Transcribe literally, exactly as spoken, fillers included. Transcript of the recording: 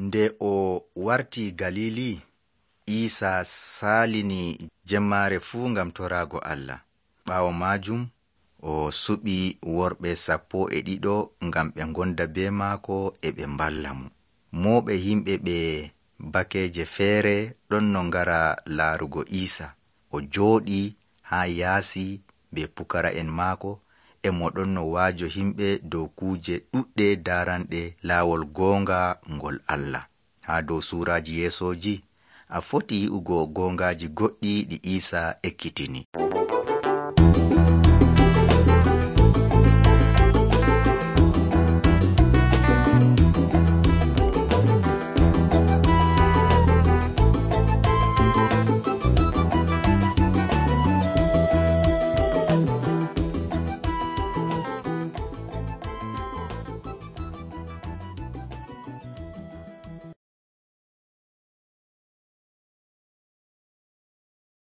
Nde o warti Galili, Isa salini jemmare fuu ngam torago Allah. Ɓaawo majum o suɓi worɓe sappo e ɗiɗo ngam ɓe gonda be maako e ɓe mballa mo. Moɓe himɓe ɓe bakeje feere ɗon no ngara laarugo Isa. O jooɗi ha yaasi be pukara'en maako, e mo ɗon no waajo himɓe dow kuuje ɗuɗɗe daranɗe laawol goonga ngol Allah. Ha dow suuraji yeesoji a foti yi'ugo goongaji goɗɗi ɗi Isa ekkitini.